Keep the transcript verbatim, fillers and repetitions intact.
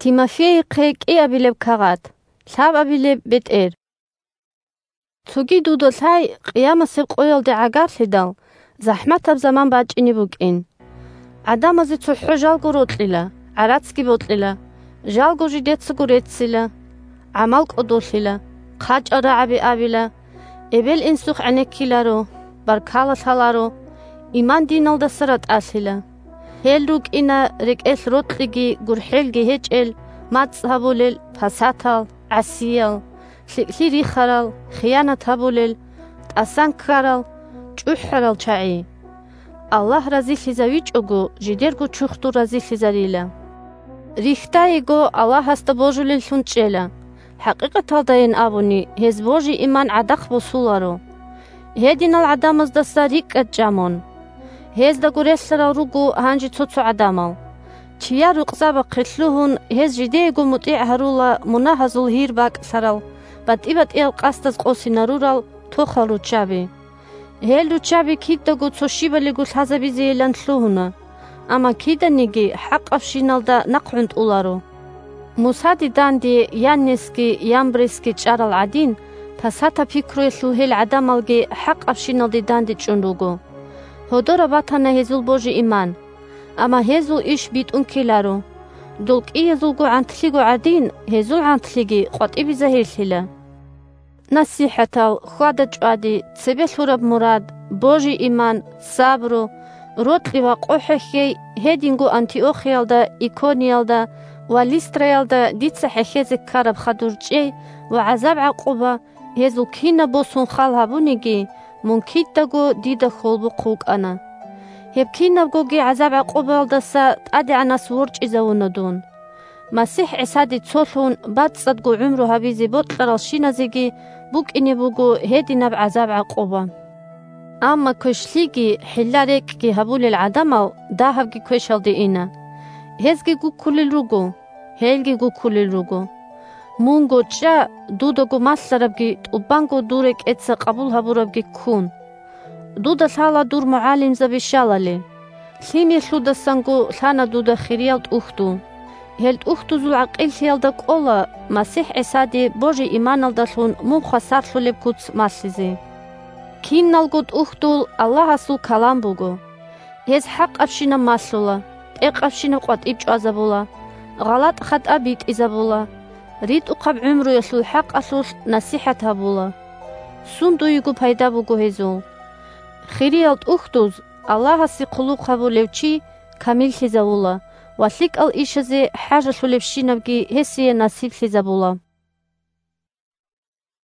Тимофейихъе кӀиабилеб кагъат, лъабабилеб бетӀер. Цоги дуда лъай, къиямасеб къоялде гӀагарлъидал, захӀматаб заман бачӀине букӀин. ГӀадамазе цохӀо жалго рокьила, гӀарацги бокьила, жалго жидецаго реццила, гӀамал кӀодолъила, хъачӀал рагӀаби абила, эбел-инсухъ гӀенеккиларо, баркала лъаларо, иман диналдаса ратӀалъила. Гьел рукӀина рекӀелъ рокьиги гурхӀелги гьечӀел, мацӀ гьабулел, пасатал, гӀасиял, лъикӀлъи рихарал, хиянат гьабулел, тӀасан ккарал, чӀухӀарал чагӀи. Аллагь разилъизавичӀого, жидерго чурхдул разилъизарила. Рихьдайиго Аллагьасда божулеллъун чӀела. ХӀакъикъаталдайин абуни, гьез божи-иман гӀадахъ босуларо. Гьединал гӀадамаздаса рикӀкӀад чӀа мун. Гьездаго релълъарал руго гьанже цо-цо гӀадамал. Чияр рукъзабахъе лъугьун, гьез жидеего мутӀигӀ гьарула мунагьазул гьир бакӀлъарал, батӀи-батӀиял къасдаз къосинарурал тохал руччаби. Гьел руччаби кидаго цо щибалиго лъазабизейилан лъугьуна, амма киданиги хӀакъабщиналда нахъ гӀунтӀуларо. Мусаде данде Яннесги Ямбресги чӀарал гӀадин, пасатаб пикруялъул гьел гӀадамалги хӀакъабщиналде дандечӀун руго. Гьодораб батана гьезул божи-иман, амма гьезул иш битӀун ккеларо. Дол кӀиязулго гӀантлъиго гӀадин, гьезул гӀантлъиги къватӀибе загьирлъила. НасихӀатал, хьвада-чӀвади, цебе лъураб мурад, божи-иман, сабру, рокьи ва къо хӀехьей, гьединго Антиохиялда, Икониялда ва Листраялда дица хӀехьезе ккараб хадур чӀей ва гӀазаб-гӀакъуба, гьезул кинаб босун хал гьабуниги, мун кидаго дида хьолбухъ вукӀана. Гьеб кинабгоги гӀазаб-гӀакъубаялдаса ТӀадегӀанас ворчӀизавуна дун. МасихӀ ГӀисаде цолъун бацӀцӀадго гӀумру гьабизе бокьаралщиназеги букӀине буго гьединаб гӀазаб-гӀакъуба. Амма квешлъиги хӀилла-рекӀкӀги гьабулел гӀадамал дагьабги квешалде ина. Гьезги гуккулел руго, гьелги гуккулел руго. Мунго чӀа, дудаго малъарабги тӀубанго дур рекӀеца къабул гьабурабги ккун. Дуда лъала дур мугӀалимзаби щалали. Лъимерлъудасанго лъана дуда хириял тӀухьдул. Гьел тӀухьдузул гӀакъиллъиялда кӀола МасихӀ ГӀисаде божи-иманалдалъун мун хвасарлъулеб куц малъизе. Киналго тӀухьдул Аллагьасул калам буго. Гьез хӀакъабщинаб малъула, пӀекъабщинаб къватӀиб чӀвазабула, гъалатӀ-хатӀа битӀизабула, ритӀухъаб гӀумруялъул хӀакъалъулъ насихӀат гьабула. Сундуего пайда буго гьезул. Хириял тӀухьдуз Аллагьасе хъулухъ гьабулев чи камиллъизавула ва лъикӀал ишазе хӀажалъулебщинабги гьесие насиблъизабула.